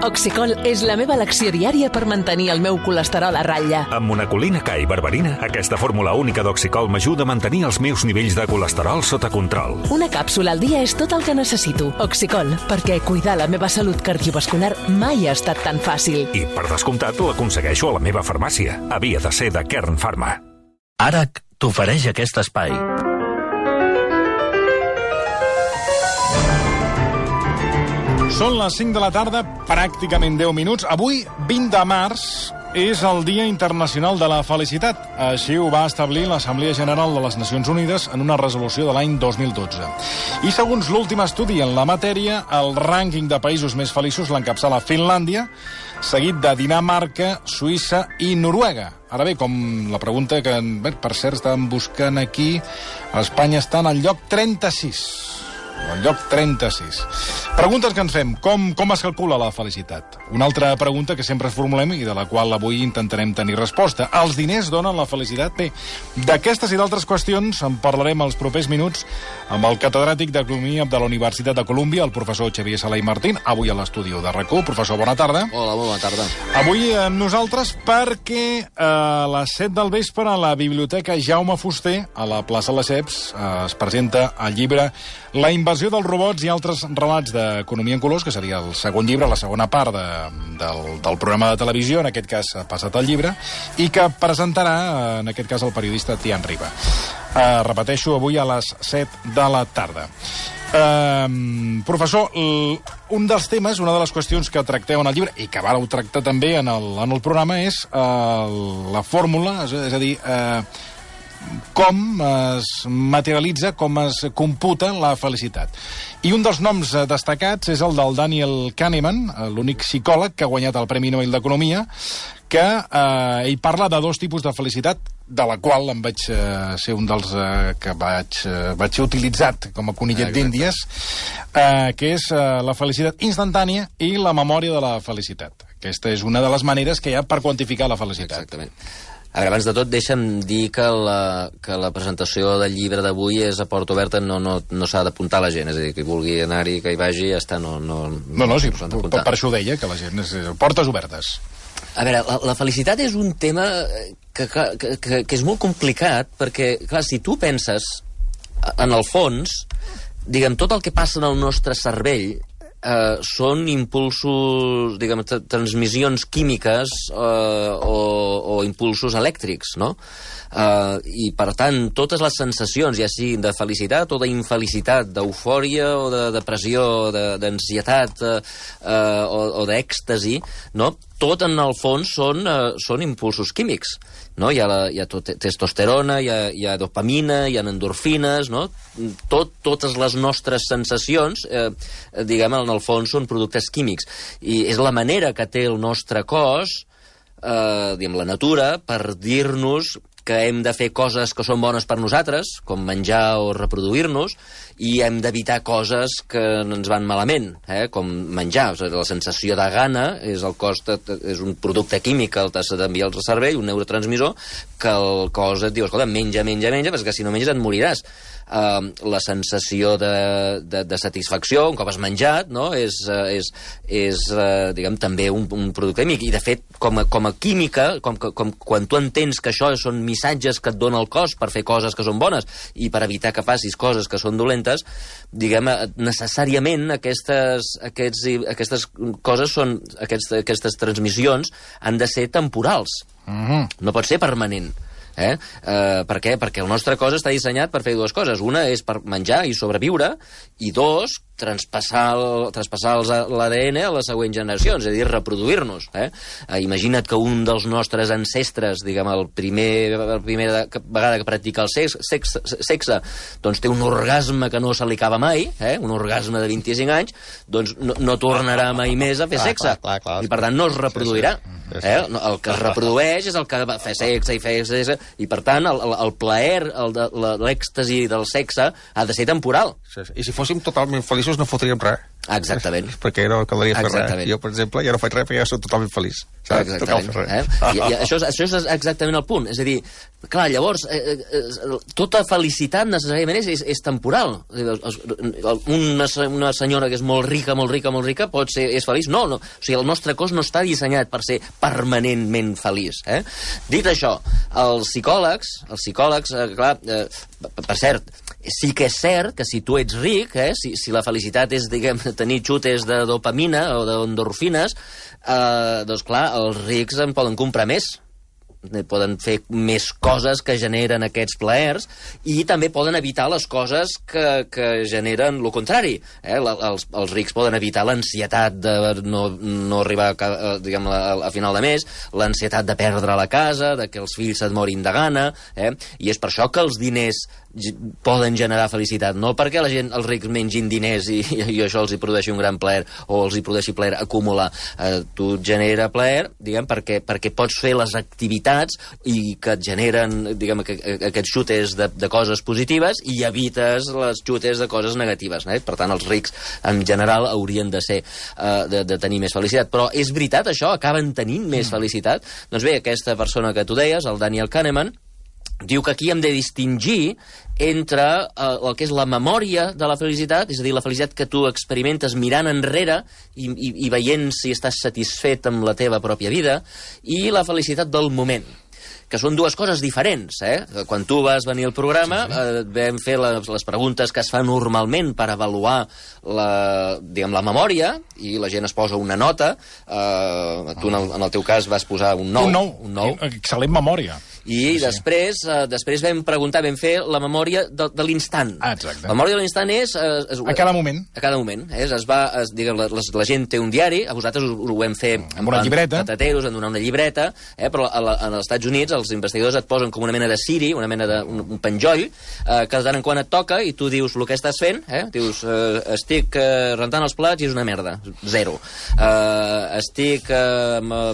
Oxicol és la meva elecció diària per mantenir el meu colesterol a ratlla. Amb monacolina K i berberina, aquesta fórmula única d'Oxicol m'ajuda a mantenir els meus nivells de colesterol sota control. Una càpsula al dia és tot el que necessito. Oxicol, perquè cuidar la meva salut cardiovascular mai ha estat tan fàcil. I, per descomptat, l'aconsegueixo a la meva farmàcia. Havia de ser de Kern Pharma. ARAC t'ofereix aquest espai. Són les 5 de la tarda, pràcticament 10 minuts. Avui, 20 de març, és el Dia Internacional de la Felicitat. Així ho va establir l'Assemblea General de les Nacions Unides en una resolució de l'any 2012. I segons l'últim estudi en la matèria, el rànquing de països més feliços l'encapçala Finlàndia, seguit de Dinamarca, Suïssa i Noruega. Ara bé, com la pregunta que, per cert, estàvem buscant aquí, Espanya està en el lloc 36. El lloc 36. Preguntes que ens fem. Com es calcula la felicitat? Una altra pregunta que sempre es formulem i de la qual avui intentarem tenir resposta. Els diners donen la felicitat? Bé, d'aquestes i d'altres qüestions en parlarem els propers minuts amb el catedràtic d'Economia de la Universitat de Colúmbia, el professor Xavier Sala i Martín, avui a l'estudi de RAC1. Professor, bona tarda. Hola, molt bona tarda. Avui amb nosaltres perquè a les 7 del vespre a la Biblioteca Jaume Fuster, a la plaça Lesseps, es presenta el llibre La invasió dels robots i altres relats d'economia en colors, que seria el segon llibre, la segona part del programa de televisió, en aquest cas ha passat el llibre, i que presentarà, en aquest cas, el periodista Tian Riba. Repeteixo, avui a les 7 de la tarda. Professor, un dels temes, una de les qüestions que tracteu en el llibre, i que vareu tractar també en el programa, és la fórmula, és a dir, com es materialitza, com es computa la felicitat. I un dels noms destacats és el del Daniel Kahneman, l'únic psicòleg que ha guanyat el Premi Nobel d'Economia, que ell parla de dos tipus de felicitat, de la qual em vaig ser un dels que vaig ser utilitzat com a conillet d'Índies, que és la felicitat instantània i la memòria de la felicitat. Aquesta és una de les maneres que hi ha per quantificar la felicitat. Exactament. A veure, abans de tot, deixa'm dir que la presentació del llibre d'avui és a porta oberta, no s'ha d'apuntar la gent, és a dir, que vulgui anar-hi, que hi vagi, ja està, no, sí, per això ho deia, que la gent és portes obertes. A veure, la felicitat és un tema que és molt complicat, perquè, clar, si tu penses, en el fons, diguem, tot el que passa en el nostre cervell són impulsos, diguem, transmissions químiques o impulsos elèctrics, no? I, per tant, totes les sensacions, ja siguin de felicitat o d'infelicitat, d'eufòria o de depressió, d'ansietat o d'èxtasi, no? Tot, en el fons, són impulsos químics, no? Hi ha testosterona, hi ha dopamina, hi ha endorfines, no? Totes les nostres sensacions, diguem, en el fons, són productes químics. I és la manera que té el nostre cos, diguem, la natura, per dir-nos que hem de fer coses que són bones per nosaltres, com menjar o reproduir-nos, i hem d'evitar coses que ens van malament, com menjar. O sigui, la sensació de gana és és un producte químic que t'has d'enviar al cervell, un neurotransmissor, que el cos et diu, escolta, menja, perquè si no menges et moriràs. La sensació de satisfacció, un cop has menjat, no? és diguem, també un producte químic. I, de fet, com a química, com quan tu entens que això són missatges que et dona el cos per fer coses que són bones i per evitar que facis coses que són dolentes, diguem, necessàriament aquestes coses aquestes transmissions han de ser temporals. No pot ser permanent. Per què? Perquè el nostre cos està dissenyat per fer dues coses. Una és per menjar i sobreviure, i dos, traspassar l'ADN a les següents generacions, és a dir, reproduir-nos. Imagina't que un dels nostres ancestres, diguem, la primera vegada que practica el sexe, doncs té un orgasme que no se li acaba mai, un orgasme de 25 anys, doncs no tornarà mai més a fer sexe. I, per tant, no es reproduirà. El que es reprodueix és el que fa sexe i fa sexe, i, per tant, el plaer, l'èxtasi del sexe ha de ser temporal. I si fóssim totalment feliços no fotríem res. Exactament. Perquè no caldria fer res. Exactament. Jo, per exemple, ja no faig res perquè ja soc totalment feliç. Exactament. I això és exactament el punt. És a dir, clar, llavors, tota felicitat necessàriament és temporal. Una senyora que és molt rica pot ser és feliç? No. O sigui, el nostre cos no està dissenyat per ser permanentment feliç. Dit això, els psicòlegs, clar, per cert, sí que és cert que si tu ets ric, si la felicitat és, diguem, tenir xutes de dopamina o d'endorfines, doncs clar, els rics en poden comprar més. Poden fer més coses que generen aquests plaers i també poden evitar les coses que generen el contrari. Els rics poden evitar l'ansietat de no arribar a final de mes, l'ansietat de perdre la casa, de que els fills se't morin de gana, i és per això que els diners poden generar felicitat, no perquè la gent, els rics mengin diners i això els hi produeixi un gran plaer o els hi produeixi plaer acumular. Tu et genera plaer, diguem, perquè pots fer les activitats i que et generen, diguem, aquests xutes de coses positives i evites les xutes de coses negatives. Per tant, els rics, en general, haurien de ser de tenir més felicitat. Però és veritat, això? Acaben tenint més felicitat? Doncs bé, aquesta persona que tu deies, el Daniel Kahneman, diu que aquí hem de distingir entre el que és la memòria de la felicitat, és a dir, la felicitat que tu experimentes mirant enrere i veient si estàs satisfet amb la teva pròpia vida, i la felicitat del moment, que són dues coses diferents. Quan tu vas venir al programa, vam fer les preguntes que es fan normalment per avaluar la memòria, i la gent es posa una nota. Tu, en el teu cas, vas posar un 9. Un 9. Excel·lent memòria. I després vam fer la memòria de l'instant. Exacte. La memòria de l'instant és... A cada moment. A cada moment. La gent té un diari, a vosaltres ho vam fer amb una llibreta. Patateros, en donar una llibreta, però als Estats Units els investigadors et posen com una mena de ciri, una mena d'un penjoll, que de tant en quan et toca i tu dius el que estàs fent, dius, estic rentant els plats i és una merda, 0. Estic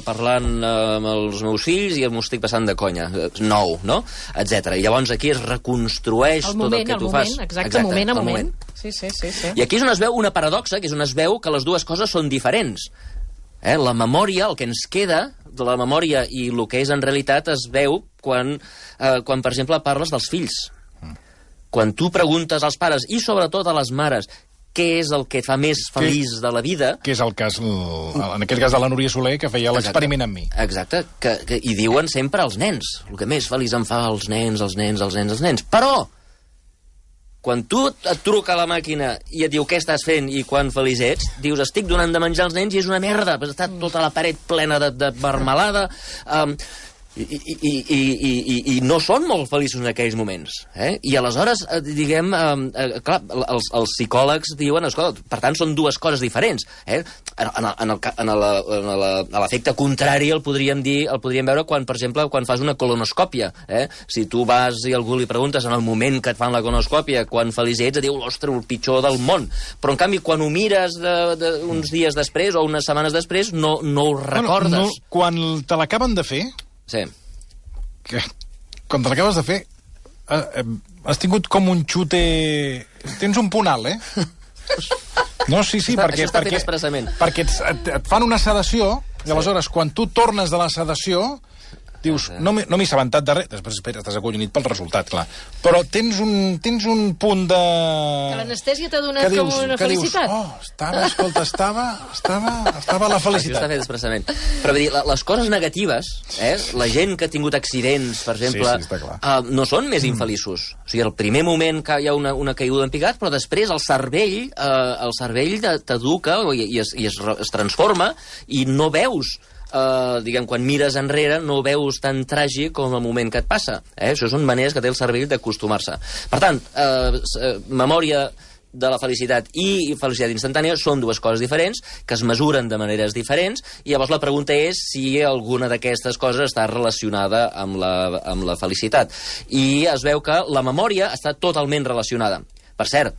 parlant amb els meus fills i m'ho estic passant de conya, 9, no? Etcètera. I llavors aquí es reconstrueix tot el que tu fas. Exacte, moment a moment. Sí. I aquí és on es veu una paradoxa, que és on es veu que les dues coses són diferents. La memòria, el que ens queda de la memòria i el que és en realitat es veu quan per exemple, parles dels fills. Quan tu preguntes als pares, i sobretot a les mares, què és el que et fa més feliç de la vida... Que és el cas, en aquest cas de la Núria Soler, que feia l'experiment amb mi. Exacte, i diuen sempre als nens. El que més feliç em fa els nens. Però, quan tu et truca a la màquina i et diu què estàs fent i quan feliç ets, dius estic donant de menjar als nens i és una merda, està tota la paret plena de marmelada... I no són molt feliços en aquells moments. I aleshores, diguem, clar, els psicòlegs diuen, escolta, per tant, són dues coses diferents. A l'efecte contrari el podríem veure quan, per exemple, quan fas una colonoscòpia. Si tu vas i algú li preguntes en el moment que et fan la colonoscòpia quan feliç ets, et diu, ostres, el pitjor del món. Però, en canvi, quan ho mires uns dies després o unes setmanes després, no ho recordes. Quan te l'acaben de fer... Sí. Quan te l'acabes de fer, has tingut com un xute... Tens un punt alt, No, sí, perquè... Això està fet expressament. Perquè et fan una sedació, i aleshores, quan tu tornes de la sedació, dius, no m'he assabentat de res. Després, espera, estàs acollonit pel resultat, clar. Però tens un punt de... Que l'anestèsia t'ha donat com una felicitat. Estava la felicitat. Això està fet expressament. Però, vull dir, les coses negatives, la gent que ha tingut accidents, per exemple, no són més infeliços. O sigui, al primer moment que hi ha una caiguda en picat, però després el cervell t'educa i es transforma i no veus diguem, quan mires enrere no ho veus tan tràgic com el moment que et passa. Això són maneres que té el cervell d'acostumar-se. Per tant, memòria de la felicitat i felicitat instantània són dues coses diferents, que es mesuren de maneres diferents, i llavors la pregunta és si alguna d'aquestes coses està relacionada amb la felicitat. I es veu que la memòria està totalment relacionada. Per cert,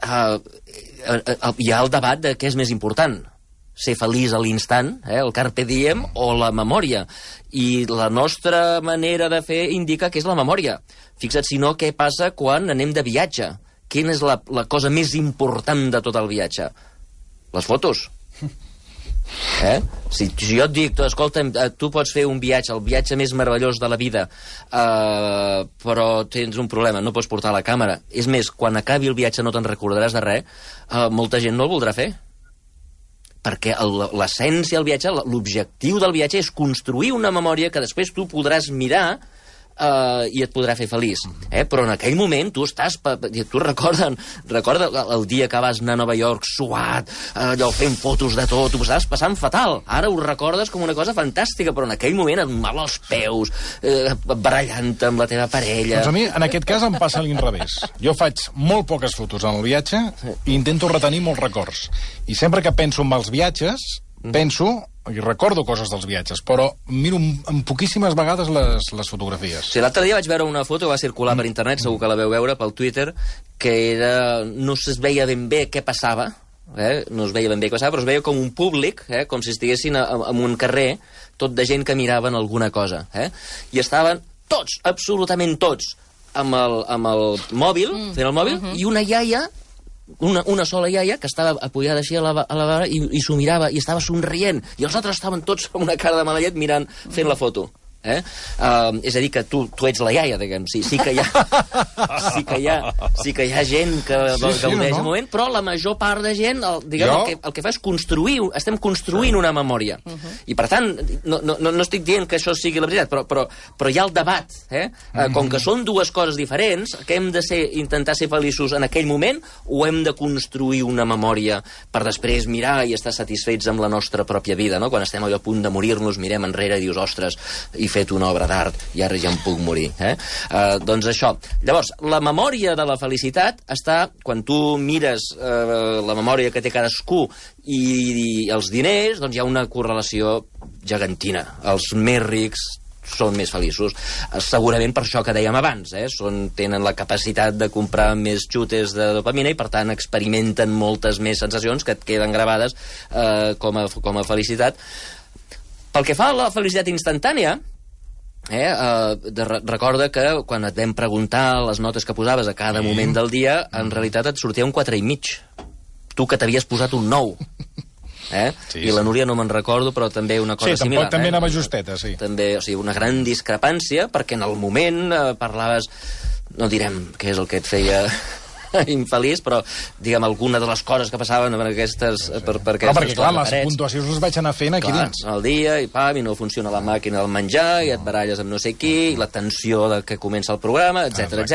hi ha el debat de què és més important, ser feliç a l'instant, el carpe diem, o la memòria. I la nostra manera de fer indica que és la memòria. Fixa't, si no, què passa quan anem de viatge. quina és la cosa més important de tot el viatge? Les fotos. Si jo et dic, escolta, tu pots fer un viatge, el viatge més meravellós de la vida, però tens un problema, no pots portar la càmera. És més, quan acabi el viatge no te'n recordaràs de res, molta gent no el voldrà fer. Perquè l'essència del viatge, l'objectiu del viatge és construir una memòria que després tu podràs mirar i et podrà fer feliç. Però en aquell moment tu recorda el dia que vas anar a Nova York suat, allò fent fotos de tot, tu estaves passant fatal. Ara ho recordes com una cosa fantàstica, però en aquell moment et mal als peus, barallant-te amb la teva parella. Doncs a mi, en aquest cas, em passa a l'inrevés. Jo faig molt poques fotos en el viatge i intento retenir molts records. I sempre que penso en els viatges, penso i recordo coses dels viatges, però miro en poquíssimes vegades les fotografies. Sí, l'altre dia vaig veure una foto que va circular per internet, segur que la veu veure pel Twitter, que era... no es veia ben bé què passava, no es veia ben bé què passava, però es veia com un públic, com si estiguessin en un carrer, tot de gent que miraven alguna cosa. I estaven tots, absolutament tots, amb el mòbil, fent el mòbil, i una iaia, una sola iaia que estava apoyada així a la vara i s'ho mirava i estava somrient, i els altres estaven tots amb una cara de mala llet mirant, fent la foto. És a dir, que tu ets la iaia, diguem. Sí que hi ha gent que gaudeix el moment, però la major part de gent, el que fa és construir, estem construint una memòria. I per tant, no estic dient que això sigui la veritat, però hi ha el debat. Com que són dues coses diferents, que hem de intentar ser feliços en aquell moment, o hem de construir una memòria per després mirar i estar satisfets amb la nostra pròpia vida, no? Quan estem a punt de morir-nos, mirem enrere i dius, ostres, he fet una obra d'art i ara ja em puc morir. Doncs això. Llavors, la memòria de la felicitat està, quan tu mires la memòria que té cadascú i els diners, doncs hi ha una correlació gegantina. Els més rics són més feliços. Segurament per això que dèiem abans, tenen la capacitat de comprar més xutes de dopamina i, per tant, experimenten moltes més sensacions que et queden gravades com a felicitat. Pel que fa a la felicitat instantània, recorda que quan et vam preguntar les notes que posaves a cada moment del dia, en realitat et sortia un 4,5. Tu que t'havies posat un 9. I la Núria no me'n recordo, però també una cosa similar. Sí, també anava justeta, sí. També, o sigui, una gran discrepància, perquè en el moment parlaves, no direm què és el que et feia infeliç, però, diguem, alguna de les coses que passaven per aquestes... perquè, clar, les puntuacions les vaig anar fent aquí dins. Al dia, i no funciona la màquina del menjar, i et baralles amb no sé qui, i la tensió que comença el programa, etc.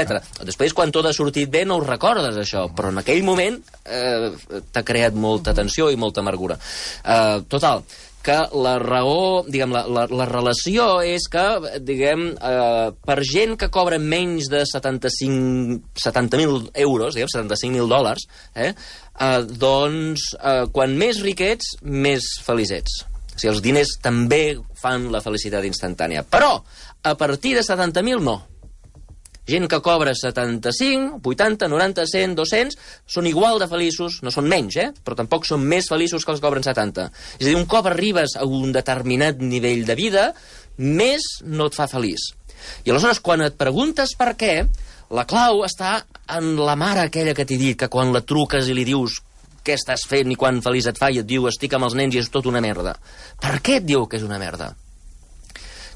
Després, quan tot ha sortit bé, no ho recordes, això, però en aquell moment t'ha creat molta tensió i molta amargura. Total, que la raó, diguem, la relació és que, diguem, per gent que cobra menys de 70.000 euros, diguem, $75.000, doncs, quan més riquets, més feliçets. O sigui, els diners també fan la felicitat instantània. Però, a partir de 70.000, no. Gent que cobra 75, 80, 90, 100, 200, són igual de feliços, no són menys, però tampoc són més feliços que els que cobren 70. És a dir, un cop arribes a un determinat nivell de vida, més no et fa feliç. I aleshores, quan et preguntes per què, la clau està en la mare aquella que t'he dit, que quan la truques i li dius què estàs fent i quan feliç et fa, i et diu estic amb els nens i és tot una merda. Per què et diu que és una merda?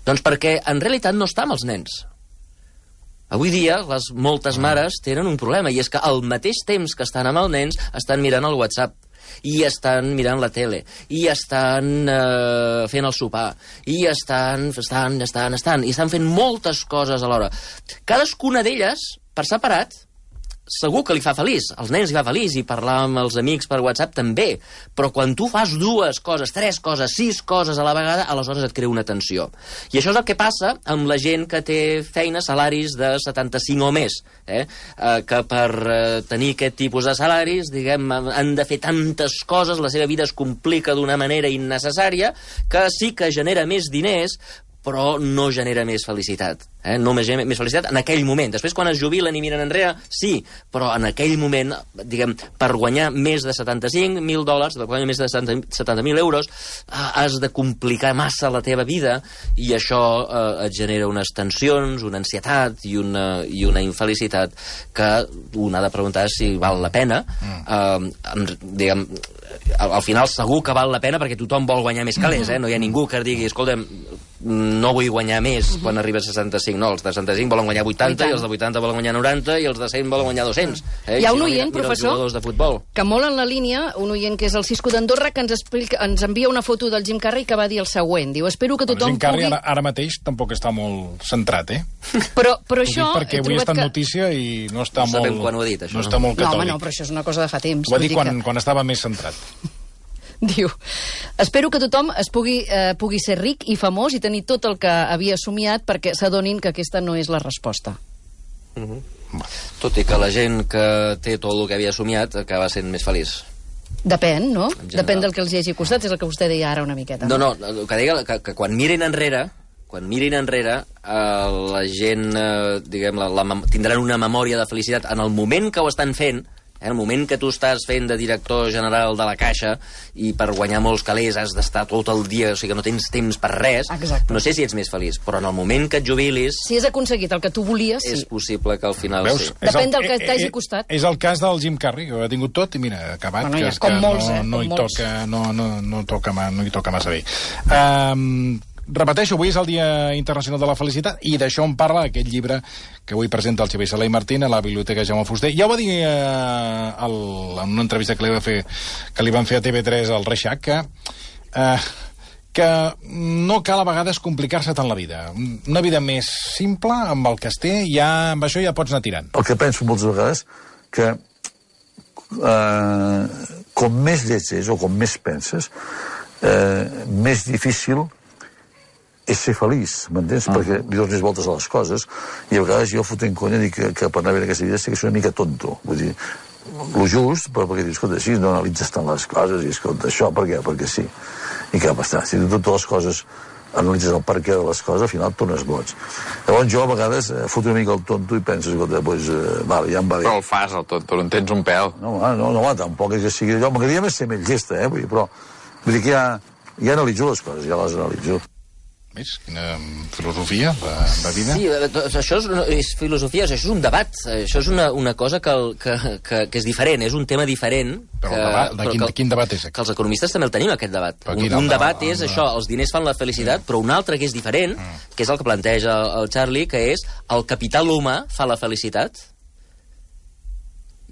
Doncs perquè en realitat no està amb els nens. Avui dia, moltes mares tenen un problema, i és que al mateix temps que estan amb els nens, estan mirant el WhatsApp, i estan mirant la tele, i estan fent el sopar, i estan fent moltes coses alhora. Cadascuna d'elles, per separat, segur que li fa feliç, als nens li fa feliç, i parlar amb els amics per WhatsApp també, però quan tu fas 2 coses, 3 coses, 6 coses a la vegada, aleshores et crea una tensió. I això és el que passa amb la gent que té feines, salaris de 75 o més, que per tenir aquest tipus de salaris, diguem, han de fer tantes coses, la seva vida es complica d'una manera innecessària, que sí que genera més diners, però no genera més felicitat. No genera més felicitat en aquell moment. Després, quan es jubilen i miren enrere, sí, però en aquell moment, diguem, per guanyar més de $75,000, per guanyar més de 70.000 euros, has de complicar massa la teva vida i això et genera unes tensions, una ansietat i una infelicitat que un ha de preguntar si val la pena. Diguem, al final segur que val la pena perquè tothom vol guanyar més calés, no hi ha ningú que digui, escolta'm, no vull guanyar més quan arriba a 65, no, els de 65 volen guanyar 80 i els de 80 volen guanyar 90 i els de 100 volen guanyar 200. Hi ha un oient, professor, de futbol, que molt en la línia, un oient que és el Cisco d'Andorra, que ens envia una foto del Jim Carrey que va dir el següent, diu, espero que tothom Jim Carrey pugui... ara mateix tampoc està molt centrat, Però això... Perquè avui ha estat notícia i no està molt... No sabem quan ho ha dit, això. No està molt catòlic. No, home, no, però això és una cosa de fa temps. Ho va dir quan estava més centrat. Diu, espero que tothom pugui ser ric i famós i tenir tot el que havia somiat perquè s'adonin que aquesta no és la resposta. Tot i que la gent que té tot el que havia somiat acaba sent més feliç. Depèn, no? Depèn del que els hi hagi costat, és el que vostè deia ara una miqueta. No, el que deia que quan mirin enrere, la gent, diguem, tindran una memòria de felicitat en el moment que ho estan fent, en el moment que tu estàs fent de director general de la Caixa i per guanyar molts calés has d'estar tot el dia, o sigui que no tens temps per res. Exacte. No sé si ets més feliç, però en el moment que et jubilis... Si has aconseguit el que tu volies, sí. És possible que al final Veus? sí. Depèn del que t'hagi costat. És el cas del Jim Carrey, que ho ha tingut tot i mira, ha acabat, Bueno, que, com que molts, no hi com molts. toca, no hi toca massa bé. Repeteixo, avui és el Dia Internacional de la Felicitat i d'això en parla aquest llibre que avui presenta el Xavier Sala i Martín a la Biblioteca Jaume Fuster. Ja ho va dir en una entrevista que li van fer a TV3 al Reixac, que no cal a vegades complicar-se tant la vida. Una vida més simple, amb el que es té, amb això ja pots anar tirant. El que penso moltes vegades que com més lleig és o com més penses, més difícil és ser feliç, m'entens? Perquè li dones voltes a les coses i a vegades jo fotent conya dic que per anar bé en aquesta vida estic una mica tonto. Vull dir, lo just, però perquè dius, escolta, si no analitzes tant les coses i escolta, això per què? Perquè sí. I què va estar? Si tu totes les coses analitzes el per què de les coses, al final et tornes boig. Llavors jo a vegades foto una mica el tonto i penso, escolta, doncs, vale, ja em va bé. Però el fas, el tonto, no en tens un pèl. No, tampoc és que sigui allò. M'agradaria més ser més llesta, però vull dir que ja analitzo les coses, ja les analitzo. Ves? Quina filosofia de vida. Sí, això és filosofia, això és un debat, això és una cosa que és diferent, és un tema diferent. Però quin debat és aquest? Que els economistes també el tenim, aquest debat. Un debat és això, els diners fan la felicitat, però un altre que és diferent, que és el que planteja el Charlie, que és el capital humà fa la felicitat.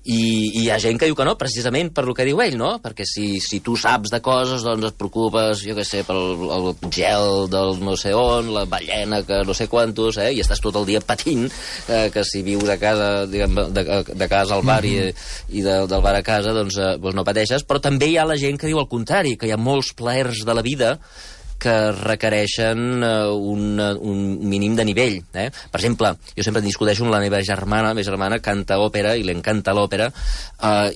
I hi ha gent que diu que no, precisament per lo que diu ell, no? Perquè si tu saps de coses, doncs et preocupes, jo què sé, pel gel del no sé on, la ballena que no sé quantos, i estàs tot el dia patint, que si vius a casa, diguem, de casa al bar i del bar a casa, doncs no pateixes. Però també hi ha la gent que diu el contrari, que hi ha molts plaers de la vida que requereixen un mínim de nivell. Per exemple, jo sempre discuteixo amb la meva germana canta òpera i li encanta l'òpera,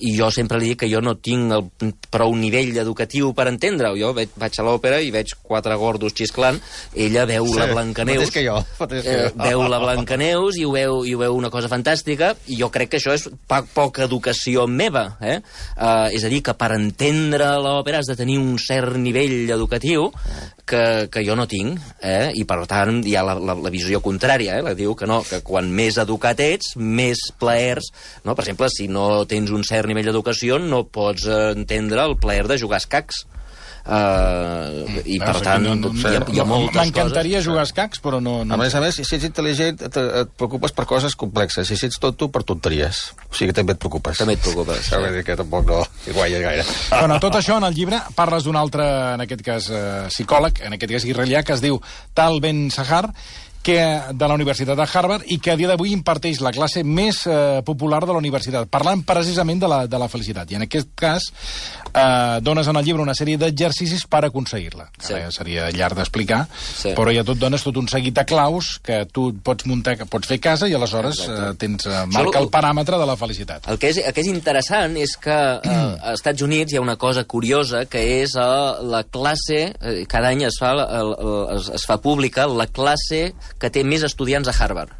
i jo sempre li dic que jo no tinc prou nivell educatiu per entendre-ho. Jo vaig a l'òpera i veig 4 gordos xisclant, ella veu la Blancaneus, veu la Blancaneus i ho veu una cosa fantàstica, i jo crec que això és poca educació meva. És a dir, que per entendre l'òpera has de tenir un cert nivell educatiu que jo no tinc, i per tant hi ha la visió contrària, la diu que no, que quan més educat ets, més plaers, no? Per exemple, si no tens un cert nivell d'educació no pots entendre el plaer de jugar a escacs. I per tant hi ha moltes coses. M'encantaria jugar a escacs, però no... A més, si ets intel·ligent et preocupes per coses complexes. Si ets tonto, per tonteries. O sigui que també et preocupes. També et preocupes. Vull dir que tampoc no guanyes gaire. Bueno, tot això en el llibre parles d'un altre, en aquest cas psicòleg, en aquest cas israelià, que es diu Tal Ben Sahar, de la Universitat de Harvard i que a dia d'avui imparteix la classe més popular de la universitat, parlant precisament de la felicitat. I en aquest cas dones en el llibre una sèrie d'exercicis per aconseguir-la. Sí. Seria llarg d'explicar, sí, però ja dones tot un seguit de claus que tu pots muntar, que pots fer a casa i aleshores marca el paràmetre de la felicitat. El que és interessant és que als Estats Units hi ha una cosa curiosa, que és la classe, cada any es fa pública la classe que té més estudiants a Harvard.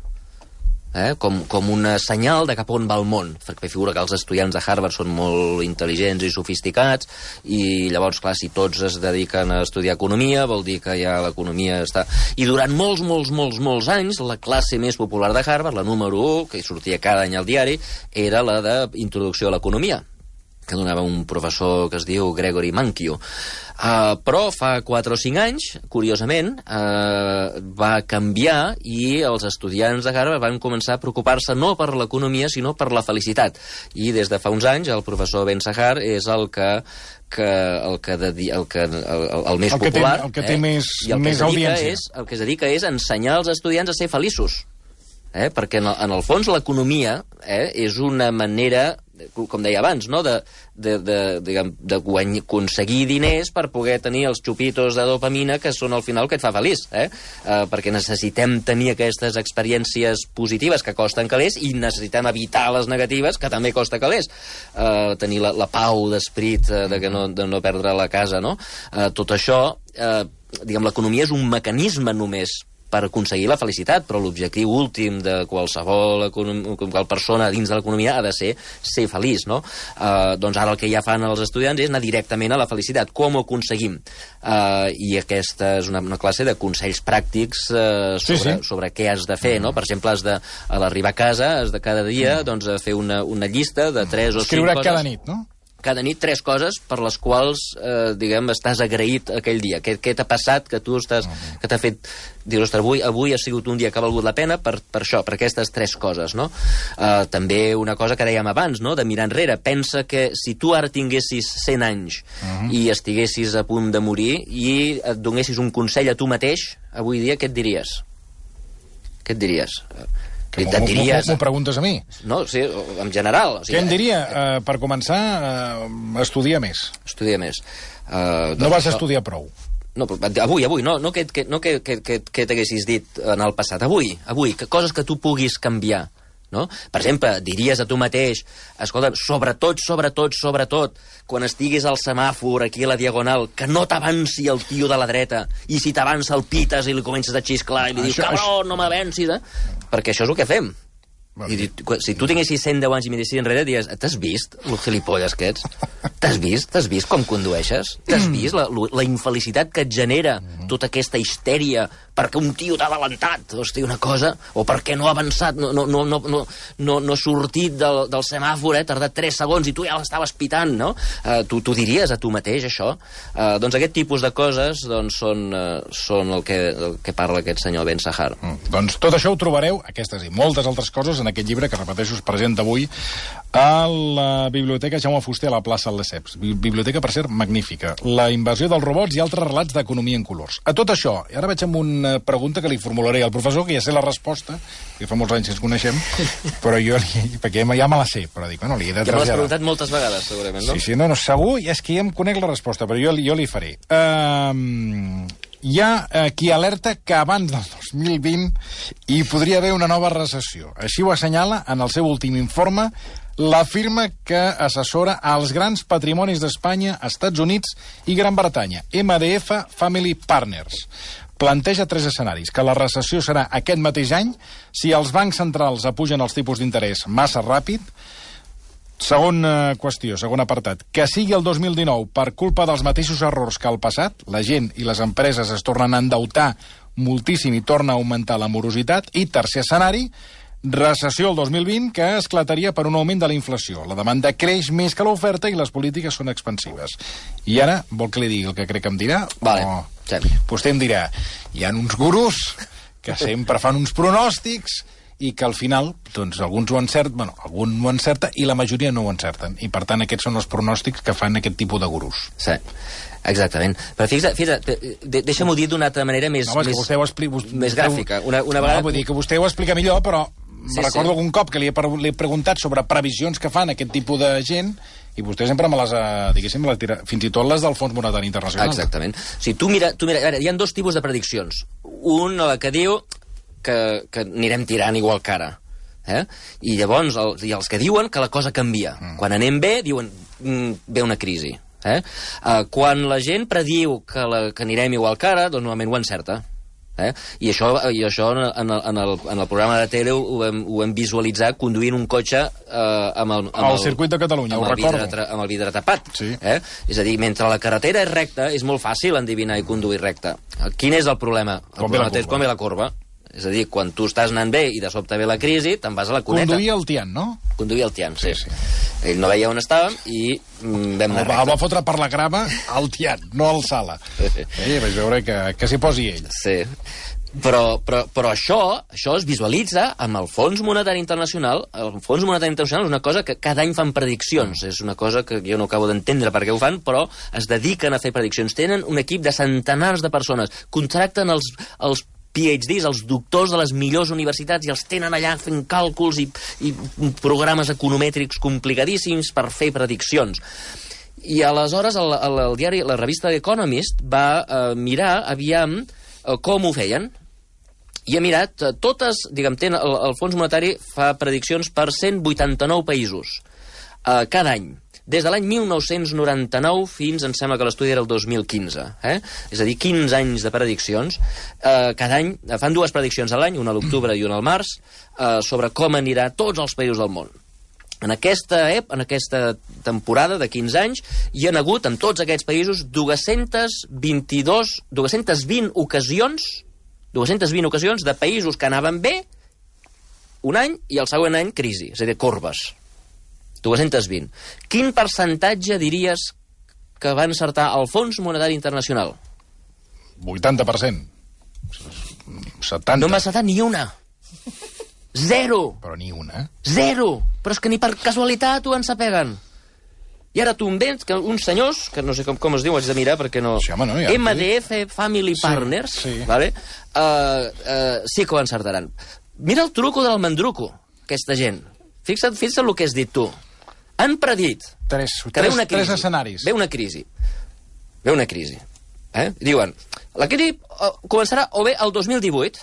Com un senyal de cap on va el món, perquè figura que els estudiants de Harvard són molt intel·ligents i sofisticats, i llavors, clar, si tots es dediquen a estudiar economia, vol dir que ja l'economia està... I durant molts anys, la classe més popular de Harvard, la número 1, que sortia cada any al diari, era la d'introducció a l'economia, que donava un professor que es diu Gregory Mankiw. Però fa 4 o 5 anys, curiosament, va canviar i els estudiants de Harvard van començar a preocupar-se no per l'economia, sinó per la felicitat. I des de fa uns anys el professor Ben Sahar és el més popular. El que té més audiència. El que es dedica és ensenyar als estudiants a ser feliços. Perquè en el fons l'economia és una manera, com deia abans, no? D'aconseguir diners per poder tenir els xupitos de dopamina que són al final el que et fa feliç, perquè necessitem tenir aquestes experiències positives que costen calés i necessitem evitar les negatives que també costa calés, tenir la pau d'esperit de no perdre la casa, no? Tot això, l'economia és un mecanisme només per aconseguir la felicitat, però l'objectiu últim de qualsevol persona dins de l'economia ha de ser feliç, no? Doncs ara el que ja fan els estudiants és anar directament a la felicitat. Com ho aconseguim? I aquesta és una classe de consells pràctics sobre què has de fer, no? Per exemple, a l'arribar a casa, has de cada dia fer una llista de 3 o 5 coses. Escriure cada nit, no? Cada nit 3 coses per les quals, estàs agraït aquell dia. Què t'ha passat, que t'ha fet... Dius, ostres, avui ha sigut un dia que ha valgut la pena per això, per aquestes 3 coses, no? També una cosa que dèiem abans, no?, de mirar enrere. Pensa que si tu ara tinguessis 100 anys i estiguessis a punt de morir i et donessis un consell a tu mateix, avui dia, què et diries? Què et diries? M'ho preguntes a mi? No, sí, en general. Què em diria? Per començar, estudia més. Estudia més. No vas estudiar prou. No, avui, no que t'haguessis dit en el passat. Avui, coses que tu puguis canviar. No? Per exemple, diries a tu mateix, escolta, sobretot, quan estiguis al semàfor aquí a la diagonal, que no t'avanci el tio de la dreta, i si t'avança el pites i li comences a xisclar i li dius, cabrón, no m'avancis, perquè això és el que fem. I si tu tinguessis 110 anys i miressis enrere, diries, t'has vist el gilipolles que ets? T'has vist com condueixes? T'has vist la infelicitat que et genera tota aquesta histèria perquè un tio t'ha adelantat, hosti, una cosa, o perquè no ha avançat, no ha sortit del semàfor, ha tardat 3 segons i tu ja l'estaves pitant, no? Tu diries a tu mateix, això? Doncs aquest tipus de coses són el que parla aquest senyor Ben Sahar. Doncs tot això ho trobareu, aquestes i moltes altres coses, en aquest llibre que, repeteixo, es presenta avui a la Biblioteca Jaume Fuster a la plaça del Lesseps. Biblioteca, per cert, magnífica. La invasió dels robots i altres relats d'economia en colors. A tot això, i ara vaig amb una pregunta que li formularé al professor, que ja sé la resposta, que fa molts anys que ens coneixem, però jo, perquè ja me la sé, però dic, bueno, li he de traslladar. Ja me l'has preguntat moltes vegades, segurament, no? Sí, no, segur, és que ja em conec la resposta, però jo li faré. Hi ha qui alerta que abans del 2020 hi podria haver una nova recessió. Així ho assenyala en el seu últim informe la firma que assessora als grans patrimonis d'Espanya, Estats Units i Gran Bretanya, MDF Family Partners. Planteja 3 escenaris, que la recessió serà aquest mateix any si els bancs centrals apugen els tipus d'interès massa ràpid. Segona qüestió, segon apartat, que sigui el 2019 per culpa dels mateixos errors que el passat, la gent i les empreses es tornen a endeutar moltíssim i torna a augmentar la morositat. I tercer escenari, recessió el 2020 que esclataria per un augment de la inflació. La demanda creix més que l'oferta i les polítiques són expansives. I ara, vol que li digui el que crec que em dirà? Vale, Vostè em dirà, hi ha uns gurus que sempre fan uns pronòstics i que al final, doncs, alguns ho encerten, bueno, algun ho encerta i la majoria no ho encerten. I, per tant, aquests són els pronòstics que fan aquest tipus de gurus. Sí, exactament. Però fixa't, deixa'm-ho dir d'una altra manera més gràfica. Una vegada... No, vull dir que vostè ho explica millor, però recordo algun cop que li he preguntat sobre previsions que fan aquest tipus de gent i vostè sempre me les ha, diguéssim, fins i tot les del Fons Monetari Internacional. Exactament. O sigui, tu mira, hi ha dos tipus de prediccions. Un, la que diu que anirem tirant igual que ara. I llavors, hi ha els que diuen que la cosa canvia. Quan anem bé, diuen ve una crisi. Quan la gent prediu que anirem igual que ara, doncs normalment ho encerta. I això en el programa de tele ho hem visualitzat conduint un cotxe amb el circuit de Catalunya, ho recordo. Amb el vidre tapat. Sí. És a dir, mentre la carretera és recta, és molt fàcil endevinar i conduir recta. Quin és el problema? El problema és com ve la corba. És a dir, quan tu estàs anant bé i de sobte ve la crisi, te'n vas a la cuneta. Conduir el Tian, no? Conduir el Tian, sí. Ell no veia on estàvem i vam anar recte. El va fotre per la grava al Tian, no al Sala. Vaig veure que s'hi posi ell. Sí. Però això es visualitza amb el Fons Monetari Internacional. El Fons Monetari Internacional és una cosa que cada any fan prediccions. És una cosa que jo no acabo d'entendre per què ho fan, però es dediquen a fer prediccions. Tenen un equip de centenars de persones. Contracten els PhDs, els doctors de les millors universitats, i els tenen allà fent càlculs i programes economètrics complicadíssims per fer prediccions. I aleshores el diari, la revista Economist va mirar aviam com ho feien. I ha mirat totes, diguem, el Fons Monetari fa prediccions per 189 països cada any. Des de l'any 1999 fins, em sembla que l'estudi era el 2015. És a dir, 15 anys de prediccions. Cada any fan dues prediccions a l'any, una a l'octubre i una al març, sobre com anirà tots els països del món. En aquesta temporada de 15 anys hi ha hagut, en tots aquests països, 220 ocasions de països que anaven bé un any i el següent any crisi, és a dir, corbes. 220. Quin percentatge diries que va encertar el Fons Monetari Internacional? 80%. 70%. No m'ha encertat ni una. 0. Però ni una. 0. Però és que ni per casualitat ho ensapeguen. I ara tu em vens que uns senyors, que no sé com es diu, haig de mirar perquè no... Sí, home, no ja MDF Family Partners, vale? Sí que ho encertaran. Mira el truco del mandruco, aquesta gent. Fixa't el que has dit tu. Han predit que ve una crisi. Tres escenaris. Ve una crisi. Diuen, la crisi començarà o bé el 2018,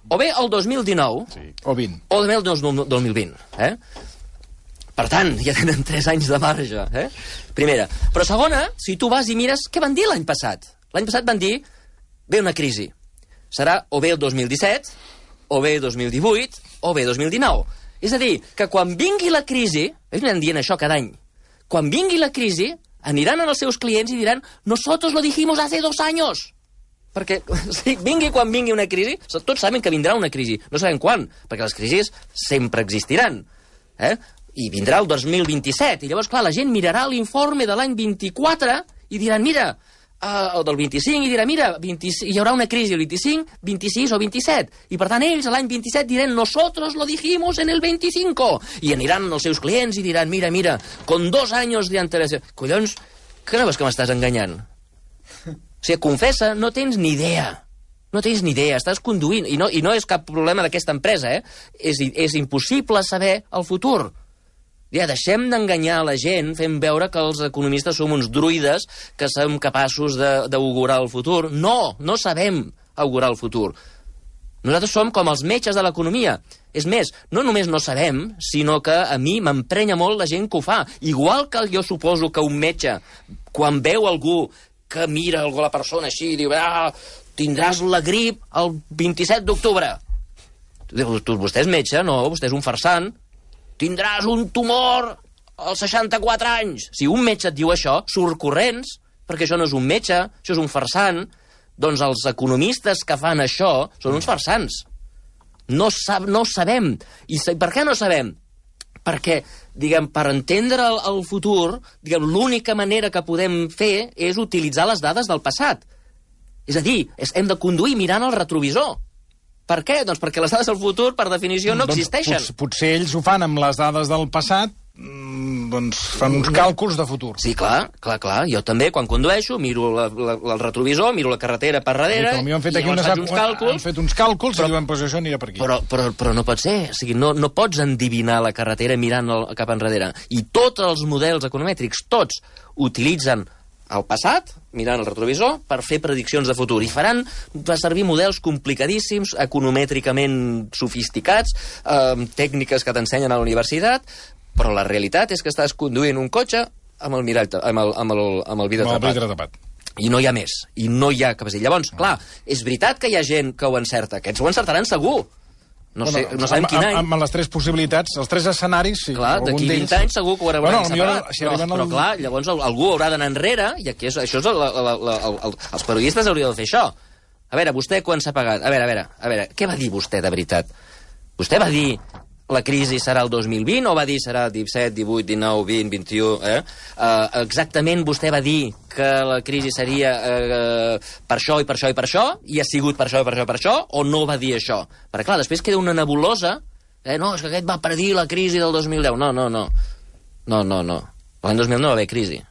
o bé el 2019, o 20. O bé el 2020. Per tant, ja tenen 3 anys de marge. Primera. Però segona, si tu vas i mires, què van dir l'any passat? L'any passat van dir, ve una crisi. Serà o bé el 2017, o bé el 2018, o bé el 2019. És a dir, que quan vingui la crisi, ells m'han dient això cada any, quan vingui la crisi, aniran als seus clients i diran, nosotros lo dijimos hace 2 años. Perquè vingui quan vingui una crisi, tots saben que vindrà una crisi, no sabem quan, perquè les crisis sempre existiran. I vindrà el 2027, i llavors, clar, la gent mirarà l'informe de l'any 24 i diran, mira, el del 25, i dirà, mira, hi haurà una crisi el 25, 26 o 27. I per tant ells l'any 27 diran, nosotros lo dijimos en el 25. I aniran als seus clients i diran, mira, con 2 años de antelació. Collons, que no veus que m'estàs enganyant? O sigui, confessa, no tens ni idea. No tens ni idea, estàs conduint. I no és cap problema d'aquesta empresa, És impossible saber el futur. Ja, deixem d'enganyar a la gent fent veure que els economistes som uns druides que som capaços d'augurar el futur. No sabem augurar el futur. Nosaltres som com els metges de l'economia. És més, no només no sabem, sinó que a mi m'emprenya molt la gent que ho fa. Igual que jo suposo que un metge, quan veu algú que mira la persona així i diu, tindràs la grip el 27 d'octubre. Vostè és metge? No, vostè és un farsant. Tindràs un tumor als 64 anys. Si un metge et diu això, surt corrents, perquè això no és un metge, això és un farsant. Doncs els economistes que fan això són uns farsants. No sabem. I per què no sabem? Perquè, diguem, per entendre el futur, diguem, l'única manera que podem fer és utilitzar les dades del passat. És a dir, hem de conduir mirant el retrovisor. Per què? Doncs perquè les dades del futur, per definició, no existeixen. Potser ells ho fan amb les dades del passat, doncs fan uns càlculs de futur. Sí, clar. Jo també, quan condueixo, miro el retrovisor, miro la carretera per darrere, i han fet uns càlculs i diuen, pues això anirà per aquí. Però no pot ser. O sigui, no pots endivinar la carretera mirant cap enrere. I tots els models economètrics, tots, utilitzen el passat, mirant el retrovisor, per fer prediccions de futur. I faran servir models complicadíssims, economètricament sofisticats, tècniques que t'ensenyen a la universitat, però la realitat és que estàs conduint un cotxe amb el mirall, amb el vidre tapat. I no hi ha més. I no hi ha capacitat. Llavors, clar, és veritat que hi ha gent que ho encerta. Aquests ho encertaran segur. No sabem quin any. Amb les 3 possibilitats, els 3 escenaris, sí. Clar, d'aquí 20 anys segur que ho hauran separat. Però clar, llavors algú haurà d'anar enrere, i aquí això és els periodistes haurien de fer això. A veure, vostè quan s'ha pagat? A veure, què va dir vostè de veritat? Vostè va dir la crisi serà el 2020 o va dir serà 17, 18, 19, 20, 21? Exactament vostè va dir que la crisi seria per això i per això i per això, i ha sigut per això i per això i per això, o no va dir això? Perquè clar, després queda una nebulosa, no, és que aquest va predir la crisi del 2010. No. L'any 2000 no va haver crisi.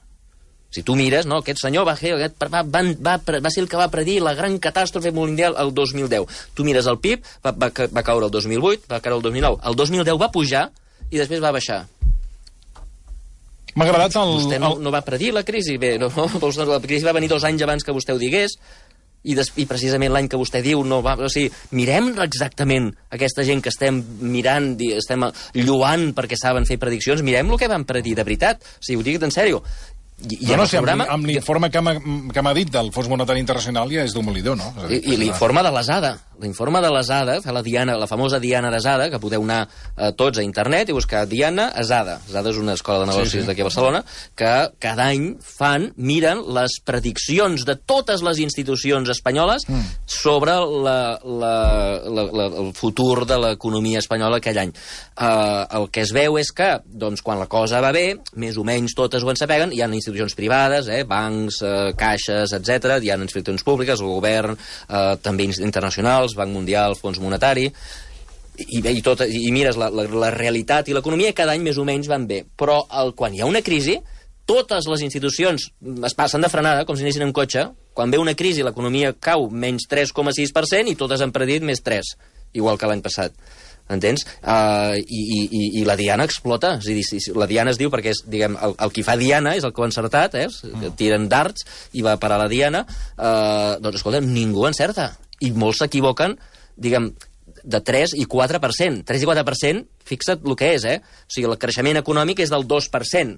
Si tu mires, no, aquest senyor va ser el que va predir la gran catàstrofe mundial el 2010. Tu mires el PIB, va caure el 2008, va caure el 2009. El 2010 va pujar i després va baixar. M'ha agradat Vostè no va predir la crisi. Bé, la crisi va venir 2 anys abans que vostè ho digués, i precisament l'any que vostè diu no va... O sigui, mirem exactament aquesta gent que estem mirant, estem lloant perquè saben fer prediccions, mirem el que van predir de veritat. O sigui, ho dic en sèrio. Amb l'informe que m'ha dit del Fons Monetari Internacional ja és demolidor, no? I l'informe de l'ESADA. L'informe de l'ESADA, la famosa Diana d'ESADA, que podeu anar tots a internet i buscar Diana ESADA. ESADA és una escola de negocis d'aquí a Barcelona, que cada any miren les prediccions de totes les institucions espanyoles sobre el futur de l'economia espanyola aquell any. El que es veu és que, quan la cosa va bé, més o menys totes ho ensapeguen, hi ha institucions privades, bancs, caixes, etc. Hi ha institucions públiques, el govern, també internacionals, Banc Mundial, Fons Monetari, i mires la realitat i l'economia, cada any més o menys van bé. Però quan hi ha una crisi, totes les institucions es passen de frenada, com si anessin en cotxe. Quan ve una crisi, l'economia cau menys 3,6% i totes han predit més 3, igual que l'any passat. Entens? I la diana explota. És a dir, la diana es diu perquè el qui fa diana és el que ho ha encertat, que tiren darts i va parar la diana. Doncs, escolta, ningú encerta. I molts s'equivoquen, de 3 i 4%. 3 i 4%, fixa't el que és, O sigui, el creixement econòmic és del 2%.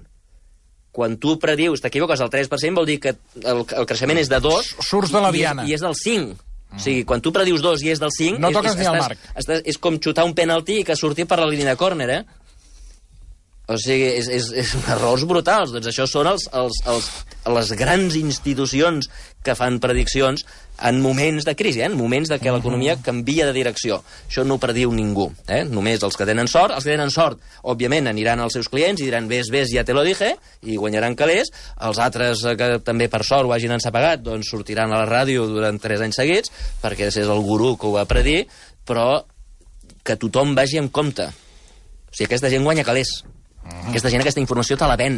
Quan tu predius, t'equivoques al 3%, vol dir que el creixement és de 2... Surts de la diana. I és del 5%. O sigui, quan tu predius 2 i és del 5... No toques ni al marc. És com xutar un penalti i que surti per la línia de córner, O sigui, és errors brutals. Doncs això són les grans institucions que fan prediccions en moments de crisi, en moments de que l'economia canvia de direcció. Això no ho prediu ningú. Només els que tenen sort. Els que tenen sort, òbviament, aniran als seus clients i diran ves, ja te lo dije, i guanyaran calés. Els altres, que també per sort ho hagin ensapegat, doncs sortiran a la ràdio durant 3 anys seguits, perquè és el gurú que ho va predir, però que tothom vagi amb compte. O sigui, aquesta gent guanya calés. Aquesta gent, aquesta informació te la ven.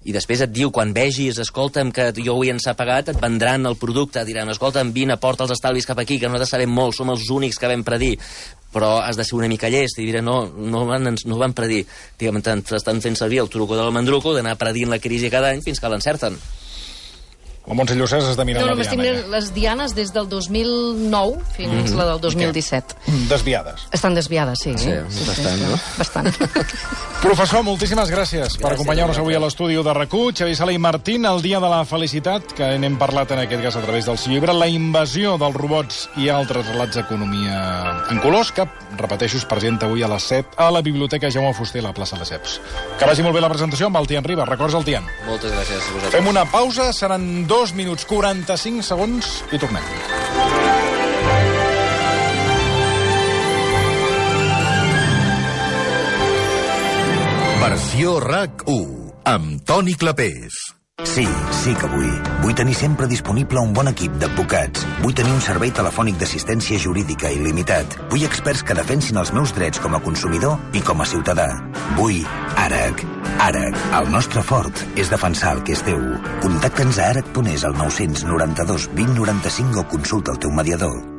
I després et diu, quan vegis, escolta'm, que jo ho he ensapegat, et vendran el producte, diran, escolta'm, vine, porta els estalvis cap aquí, que nosaltres sabem molt, som els únics que vam predir. Però has de ser una mica llest, i diré, no van predir. Estan fent servir el truco del mandruco d'anar predint la crisi cada any fins que l'encerten. La Montse Llussès està mirant la diana. Estic mirant les dianes des del 2009 fins la del 2017. Desviades. Estan desviades, sí. Sí, bastant, no? Bastant. Professor, moltíssimes gràcies per acompanyar-nos avui a l'estudi de RAC1. Xavier Sala i Martín, el dia de la felicitat, que n'hem parlat en aquest cas a través del seu llibre, La invasió dels robots i altres relats d'economia en colors, que, repeteixo, es presenta avui a les 7 a la Biblioteca Jaume Fuster, a la plaça de Ceps. Que vagi molt bé la presentació amb el Tian Riba. Records el Tian. Moltes gràcies a vosaltres. Fem una pausa, seran 2 minuts 45 segons i tornem. Versió RAC1 amb Toni Clapés. Sí, sí que vull. Vull tenir sempre disponible un bon equip d'advocats. Vull tenir un servei telefònic d'assistència jurídica il·limitat. Vull experts que defensin els meus drets com a consumidor i com a ciutadà. Vull ARAC. ARAC, el nostre fort és defensar el que és teu. Contacta'ns a arac.es al 992 20 95 o consulta el teu mediador.